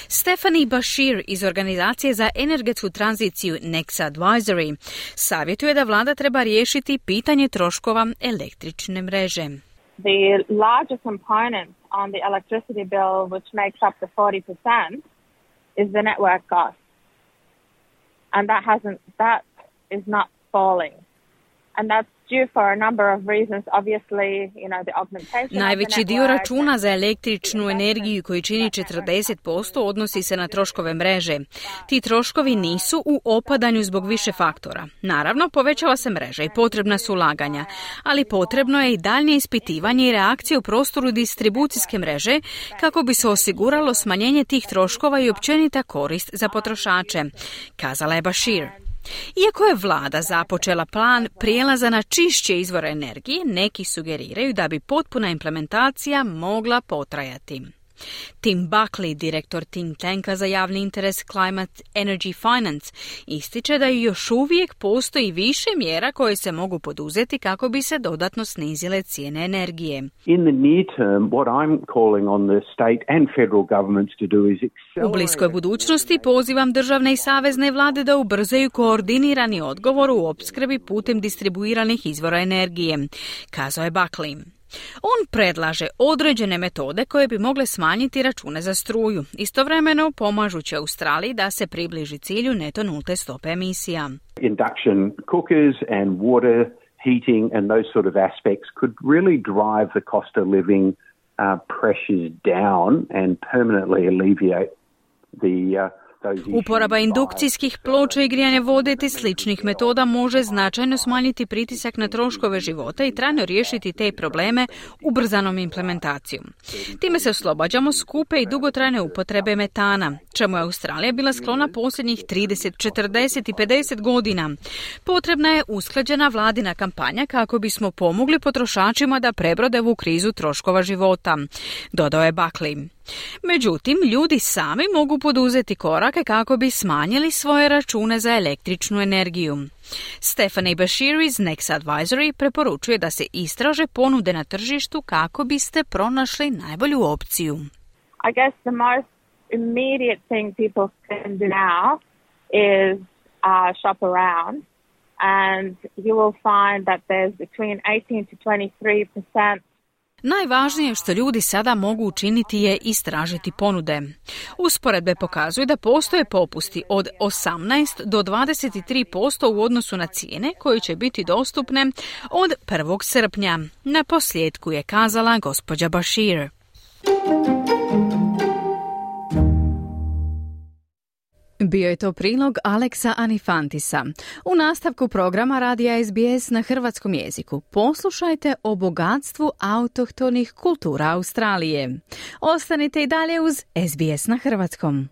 Stephanie Bashir iz Organizacije za energetsku tranziciju Next Advisory savjetuje da vlada treba riješiti pitanje troškova električne mreže. The larger component on the electricity bill, which makes up the 40%, is the network cost. And that is not falling. And that's due for a number of reasons. Obviously, the augmentation. Najveći dio računa za električnu energiju koji čini 40% odnosi se na troškove mreže. Ti troškovi nisu u opadanju zbog više faktora. Naravno, povećava se mreža i potrebna su ulaganja, ali potrebno je i daljnje ispitivanje i reakcije u prostoru distribucijske mreže kako bi se osiguralo smanjenje tih troškova i općenita korist za potrošače, kazala je Bashir. Iako je vlada započela plan prijelaza na čišće izvore energije, neki sugeriraju da bi potpuna implementacija mogla potrajati. Tim Buckley, direktor think tanka za javni interes Climate Energy Finance, ističe da još uvijek postoji više mjera koje se mogu poduzeti kako bi se dodatno snizile cijene energije. In the near term, what I'm calling on the state and federal governments to do is accelerate. U bliskoj budućnosti pozivam državne i savezne vlade da ubrzaju koordinirani odgovor u opskrbi putem distribuiranih izvora energije, kazao je Buckley. On predlaže određene metode koje bi mogle smanjiti račune za struju, istovremeno pomažući Australiji da se približi cilju neto nulte stope emisija. Induction cookers and water heating and those sort of aspects could really drive the cost of living pressures down and permanently alleviate the Uporaba indukcijskih ploča i grijanje vode te sličnih metoda može značajno smanjiti pritisak na troškove života i trajno riješiti te probleme ubrzanom implementacijom. Time se oslobađamo skupe i dugotrajne upotrebe metana, čemu je Australija bila sklona posljednjih 30, 40 i 50 godina. Potrebna je usklađena vladina kampanja kako bismo pomogli potrošačima da prebrode ovu krizu troškova života, dodao je Buckley. Međutim, ljudi sami mogu poduzeti korake kako bi smanjili svoje račune za električnu energiju. Stephanie Bashir iz Next Advisory preporučuje da se istraže ponude na tržištu kako biste pronašli najbolju opciju. I guess the most immediate thing people can do now is shop around, and you will find that there's between 18 to 23%. Najvažnije što ljudi sada mogu učiniti je istražiti ponude. Usporedbe pokazuju da postoje popusti od 18 do 23% u odnosu na cijene koje će biti dostupne od 1. srpnja. Na posljedku je kazala gospođa Bashir. Bio je to prilog Aleksa Anifantisa. U nastavku programa Radija SBS na hrvatskom jeziku poslušajte o bogatstvu autohtonih kultura Australije. Ostanite i dalje uz SBS na hrvatskom.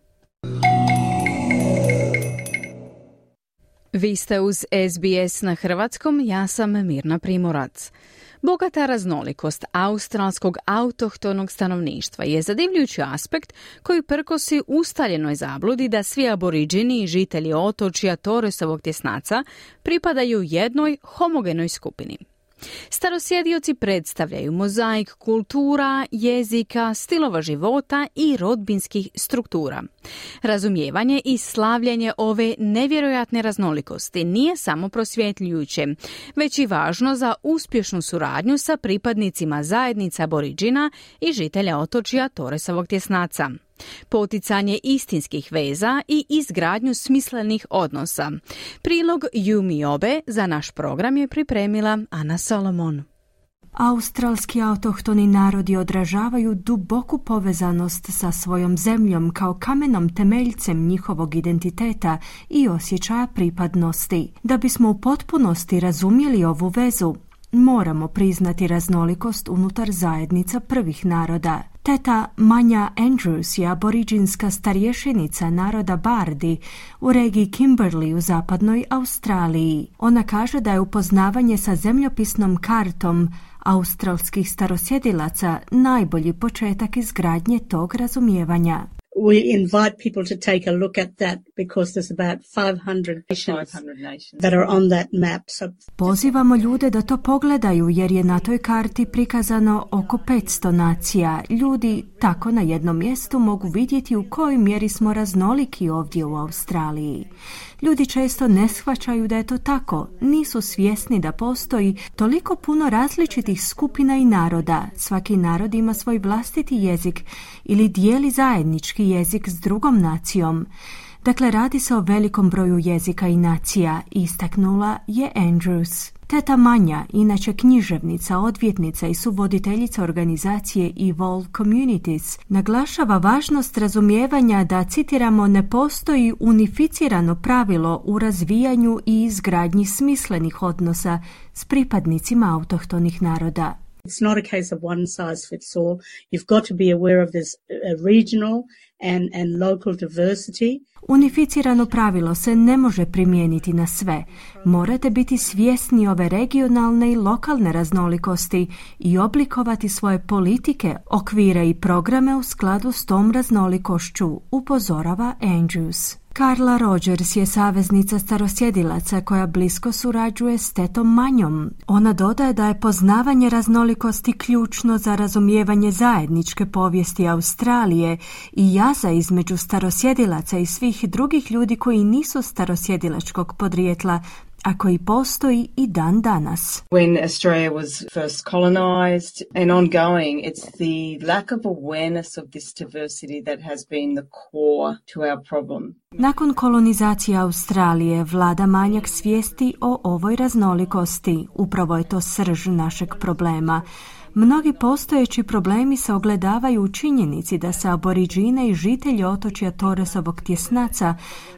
Vi ste uz SBS na hrvatskom, ja sam Mirna Primorac. Bogata raznolikost australskog autohtonog stanovništva je zadivljujući aspekt koji prkosi ustaljenoj zabludi da svi aboriđini i žitelji otočja Torresovog tjesnaca pripadaju jednoj homogenoj skupini. Starosjedioci predstavljaju mozaik kultura, jezika, stilova života i rodbinskih struktura. Razumijevanje i slavljenje ove nevjerojatne raznolikosti nije samo prosvjetljujuće, već i važno za uspješnu suradnju sa pripadnicima zajednica aboriđina i žitelja otočja Torresovog tjesnaca. Poticanje istinskih veza i izgradnju smislenih odnosa. Prilog Yumi Obe za naš program je pripremila Ana Solomon. Australski autohtoni narodi odražavaju duboku povezanost sa svojom zemljom kao kamenom temeljcem njihovog identiteta i osjećaja pripadnosti. Da bismo u potpunosti razumjeli ovu vezu, Moramo priznati raznolikost unutar zajednica prvih naroda. Teta Manja Andrews je aboriđinska starješenica naroda Bardi u regiji Kimberley u zapadnoj Australiji. Ona kaže da je upoznavanje sa zemljopisnom kartom australskih starosjedilaca najbolji početak izgradnje tog razumijevanja. We invite people to take a look at that because there's about 500 nations that are on that map. Pozivamo ljude da to pogledaju jer je na toj karti prikazano oko 500 nacija. Ljudi tako na jednom mjestu mogu vidjeti u kojoj mjeri smo raznoliki ovdje u Australiji. Ljudi često ne shvaćaju da je to tako, nisu svjesni da postoji toliko puno različitih skupina i naroda. Svaki narod ima svoj vlastiti jezik ili dijeli zajednički jezik s drugom nacijom. Dakle, radi se o velikom broju jezika i nacija, istaknula je Andrews. Teta Manja, inače književnica, odvjetnica i suvoditeljica organizacije Evolve Communities, naglašava važnost razumijevanja da, citiramo, ne postoji unificirano pravilo u razvijanju i izgradnji smislenih odnosa s pripadnicima autohtonih naroda. It's not a case of one size fits all. You've got to be aware of this regional and local diversity. Unificirano pravilo se ne može primijeniti na sve. Morate biti svjesni ove regionalne i lokalne raznolikosti i oblikovati svoje politike, okvire i programe u skladu s tom raznolikošću, upozorava Andrews. Carla Rogers je saveznica starosjedilaca koja blisko surađuje s tetom Manjom. Ona dodaje da je poznavanje raznolikosti ključno za razumijevanje zajedničke povijesti Australije i jaza između starosjedilaca i svih drugih ljudi koji nisu starosjedilačkog podrijetla, a koji postoji i dan danas. When Australia was first colonized and ongoing, it's the lack of awareness of this diversity that has been the core to our problem. Nakon kolonizacije Australije vlada manjak svijesti o ovoj raznolikosti. Upravo je to srž našeg problema. Mnogi postojeći problemi se ogledavaju u činjenici da se aboriđine i žitelji otočja Torresovog tjesnaca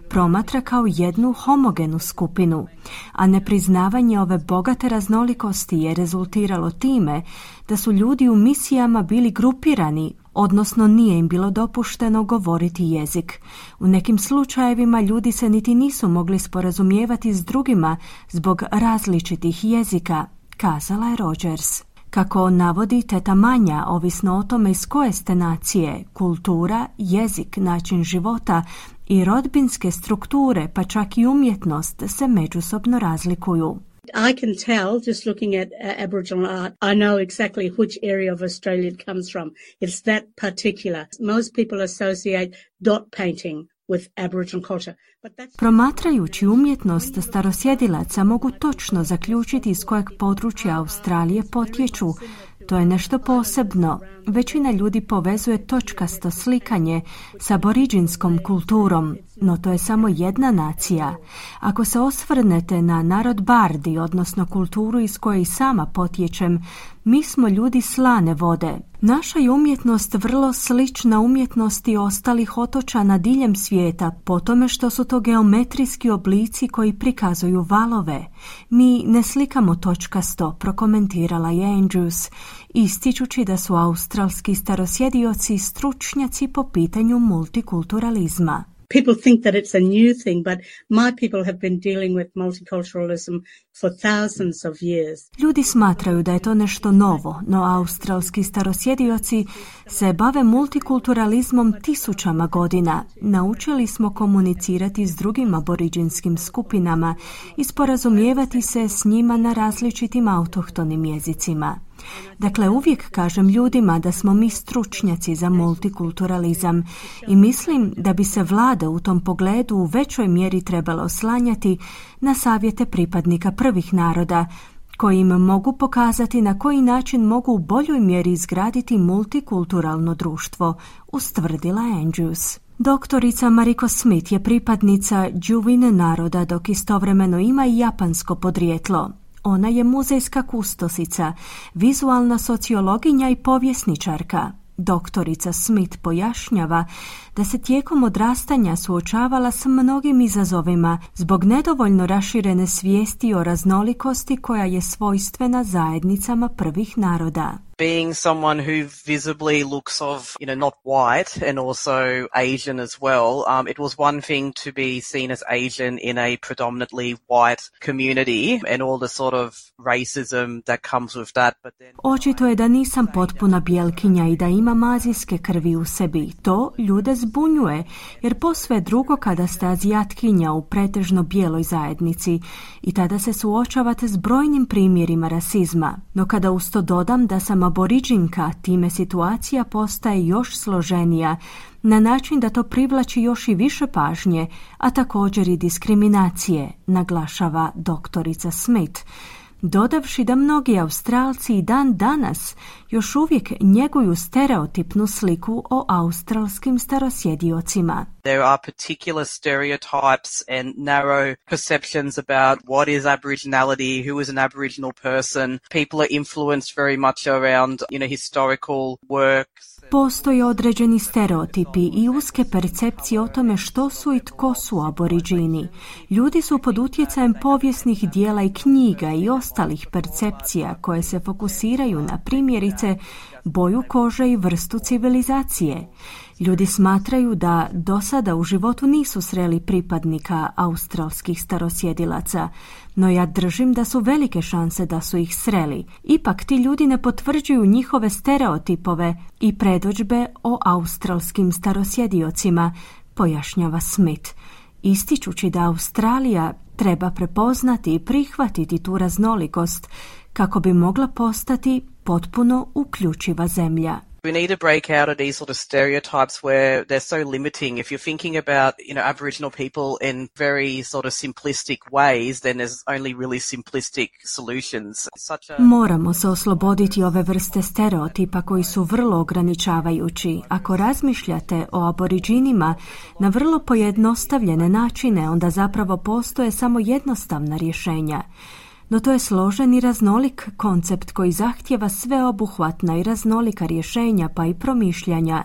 promatra kao jednu homogenu skupinu, a nepriznavanje ove bogate raznolikosti je rezultiralo time da su ljudi u misijama bili grupirani, odnosno nije im bilo dopušteno govoriti jezik. U nekim slučajevima ljudi se niti nisu mogli sporazumijevati s drugima zbog različitih jezika, kazala je Rogers. Kako navodi teta Manja, ovisno o tome iz koje ste nacije, kultura, jezik, način života i rodbinske strukture, pa čak i umjetnost se međusobno razlikuju. I can tell just looking at Aboriginal art, I know exactly which area of Australia it comes from. It's that particular. Most people associate dot painting with Aboriginal culture. Promatrajući umjetnost starosjedilaca mogu točno zaključiti iz kojeg područja Australije potječu. To je nešto posebno. Većina ljudi povezuje točkasto slikanje s aboriđinskom kulturom, no to je samo jedna nacija. Ako se osvrnete na narod Bardi, odnosno kulturu iz koje i sama potječem, mi smo ljudi slane vode. Naša je umjetnost vrlo slična umjetnosti ostalih otočana diljem svijeta, po tome što su to geometrijski oblici koji prikazuju valove. Mi ne slikamo točkasto, prokomentirala je Andrews, ističući da su australski starosjedioci stručnjaci po pitanju multikulturalizma. People think that it's a new thing, but my people have been dealing with multiculturalism for thousands of years. Ljudi smatraju da je to nešto novo, no australski starosjedioci se bave multikulturalizmom tisućama godina. Naučili smo komunicirati s drugim aboriđinskim skupinama i sporazumijevati se s njima na različitim autohtonim jezicima. Dakle, uvijek kažem ljudima da smo mi stručnjaci za multikulturalizam i mislim da bi se vlada u tom pogledu u većoj mjeri trebala oslanjati na savjete pripadnika prvih naroda, koji im mogu pokazati na koji način mogu u boljoj mjeri izgraditi multikulturalno društvo, ustvrdila Andrews. Doktorica Mariko Smith je pripadnica Djuvine naroda, dok istovremeno ima i japansko podrijetlo. Ona je muzejska kustosica, vizualna sociologinja i povjesničarka. Doktorica Smith pojašnjava da se tijekom odrastanja suočavala s mnogim izazovima zbog nedovoljno raširene svijesti o raznolikosti koja je svojstvena zajednicama prvih naroda. Being someone who visibly looks of, not white and also Asian as well, it was one thing to be seen as Asian in a predominantly white community and all the sort of racism that comes with that. But then... Očito je da nisam potpuna bijelkinja i da imam azijske krvi u sebi. To ljude zbunjuje, jer posve drugo kada ste azijatkinja u pretežno bijeloj zajednici i tada se suočavate s brojnim primjerima rasizma. No kada uz to dodam da sam aboriđinka, time situacija postaje još složenija, na način da to privlači još i više pažnje, a također i diskriminacije, naglašava doktorica Smith, dodavši da mnogi Australci i dan danas još uvijek njeguju stereotipnu sliku o australskim starosjediocima. There are particular stereotypes and narrow perceptions about what is Aboriginality, who is an Aboriginal person. People are influenced very much around, historical works. Postoje određeni stereotipi i uske percepcije o tome što su i tko su aboriđini. Ljudi su pod utjecajem povijesnih dijela i knjiga i ostalih percepcija koje se fokusiraju na primjerice boju kože i vrstu civilizacije. Ljudi smatraju da do sada u životu nisu sreli pripadnika australskih starosjedilaca, no ja držim da su velike šanse da su ih sreli. Ipak ti ljudi ne potvrđuju njihove stereotipove i predodžbe o australskim starosjediocima, pojašnjava Smith, ističući da Australija treba prepoznati i prihvatiti tu raznolikost kako bi mogla postati potpuno uključiva zemlja. We need to break out of these sort of stereotypes where they're so limiting. If you're thinking about, Aboriginal people in very sort of simplistic ways, then there's only really simplistic solutions. Moramo se osloboditi ove vrste stereotipa koji su vrlo ograničavajući. Ako razmišljate o aboriđinima na vrlo pojednostavljene načine, onda zapravo postoje samo jednostavna rješenja. No to je složen i raznolik koncept koji zahtijeva sveobuhvatna i raznolika rješenja pa i promišljanja.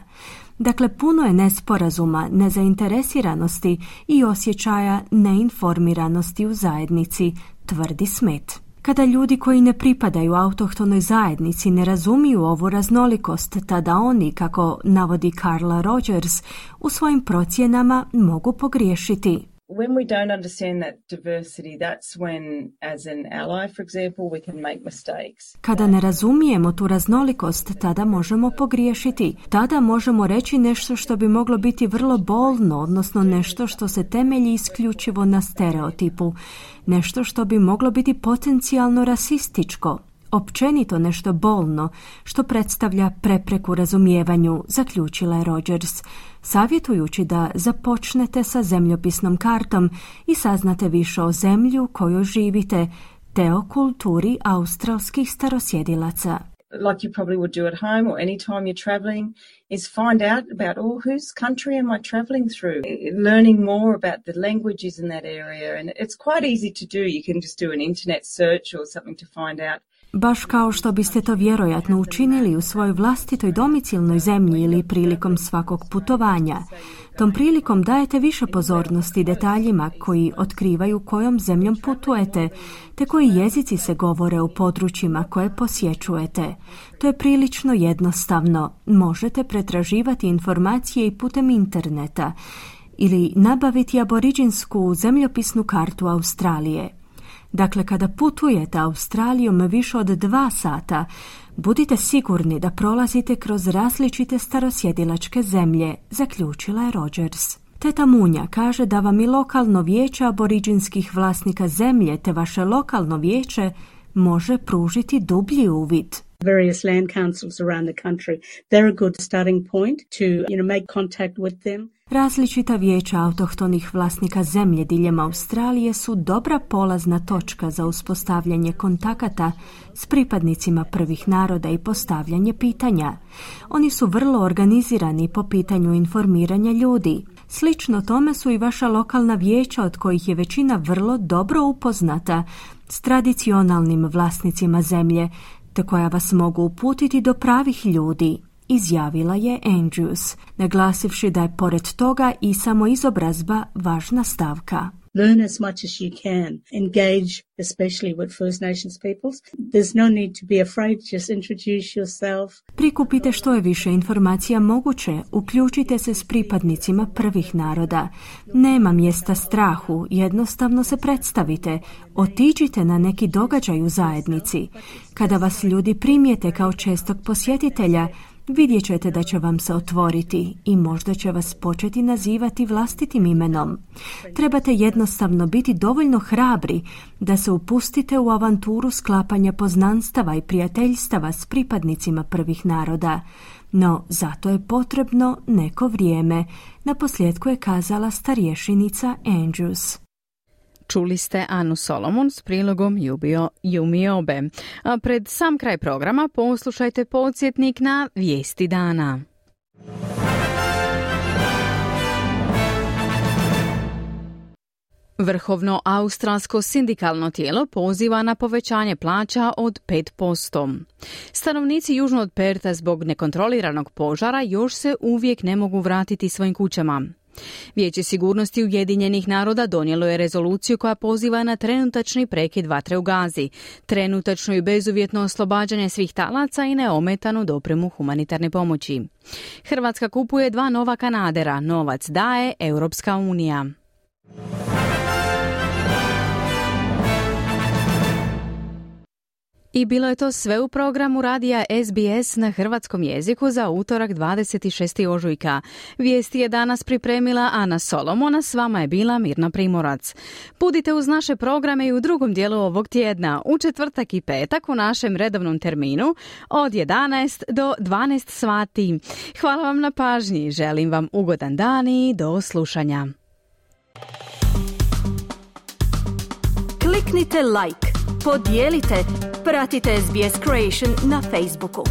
Dakle, puno je nesporazuma, nezainteresiranosti i osjećaja neinformiranosti u zajednici, tvrdi Smith. Kada ljudi koji ne pripadaju autohtonoj zajednici ne razumiju ovu raznolikost, tada oni, kako navodi Carla Rogers, u svojim procjenama mogu pogriješiti. When we don't understand that diversity, that's when, as an ally, for example, we can make mistakes. Kada ne razumijemo tu raznolikost, tada možemo pogriješiti. Tada možemo reći nešto što bi moglo biti vrlo bolno, odnosno nešto što se temelji isključivo na stereotipu. Nešto što bi moglo biti potencijalno rasističko. Općenito nešto bolno, što predstavlja prepreku razumijevanju, zaključila je Rogers, savjetujući da započnete sa zemljopisnom kartom i saznate više o zemlji u kojoj živite, te o kulturi australskih starosjedilaca. Like you probably would do at home or any time you're traveling, is find out about, whose country am I traveling through? Learning more about the languages in that area, and it's quite easy to do. You can just do an internet search or something to find out. Baš kao što biste to vjerojatno učinili u svojoj vlastitoj domicilnoj zemlji ili prilikom svakog putovanja. Tom prilikom dajete više pozornosti detaljima koji otkrivaju kojom zemljom putujete, te koji jezici se govore u područjima koje posjećujete. To je prilično jednostavno. Možete pretraživati informacije i putem interneta ili nabaviti aboriđinsku zemljopisnu kartu Australije. Dakle, kada putujete Australijom više od 2 sata, budite sigurni da prolazite kroz različite starosjedilačke zemlje, zaključila je Rogers. Teta Munja kaže da vam i lokalno vijeće aboriđinskih vlasnika zemlje te vaše lokalno vijeće može pružiti dublji uvid. Various land councils around the country, they're a good starting point to, make contact with them. Različita vijeća autohtonih vlasnika zemlje diljem Australije su dobra polazna točka za uspostavljanje kontakata s pripadnicima prvih naroda i postavljanje pitanja. Oni su vrlo organizirani po pitanju informiranja ljudi. Slično tome su i vaša lokalna vijeća, od kojih je većina vrlo dobro upoznata s tradicionalnim vlasnicima zemlje, te koja vas mogu uputiti do pravih ljudi. izjavila je Andrews, naglasivši da je pored toga i samoizobrazba važna stavka. Learn as much as you can. Engage, especially with First Nations peoples. There's no need to be afraid. Just introduce yourself. Prikupite što je više informacija moguće. Uključite se s pripadnicima prvih naroda. Nema mjesta strahu. Jednostavno se predstavite. Otiđite na neki događaj u zajednici. Kada vas ljudi primijete kao čestog posjetitelja, vidjet ćete da će vam se otvoriti i možda će vas početi nazivati vlastitim imenom. Trebate jednostavno biti dovoljno hrabri da se upustite u avanturu sklapanja poznanstava i prijateljstava s pripadnicima prvih naroda. No, zato je potrebno neko vrijeme, naposljetku je kazala starješenica Andrews. Čuli ste Anu Solomon s prilogom Yumi Obe. A pred sam kraj programa poslušajte podsjetnik na vijesti dana. Vrhovno australsko sindikalno tijelo poziva na povećanje plaća od 5%. Stanovnici južno od Perta zbog nekontroliranog požara još se uvijek ne mogu vratiti svojim kućama. Vijeće sigurnosti Ujedinjenih naroda donijelo je rezoluciju koja poziva na trenutačni prekid vatre u Gazi, trenutačno i bezuvjetno oslobađanje svih talaca i neometanu dopremu humanitarne pomoći. Hrvatska kupuje 2 nova kanadera, novac daje Europska unija. I bilo je to sve u programu radija SBS na hrvatskom jeziku za utorak 26. ožujka. Vijesti je danas pripremila Ana Solomona, s vama je bila Mirna Primorac. Budite uz naše programe i u drugom dijelu ovog tjedna, u četvrtak i petak u našem redovnom terminu od 11 do 12 sati. Hvala vam na pažnji, želim vam ugodan dan i do slušanja. Kliknite like, podijelite, pratite SBS Creation na Facebooku.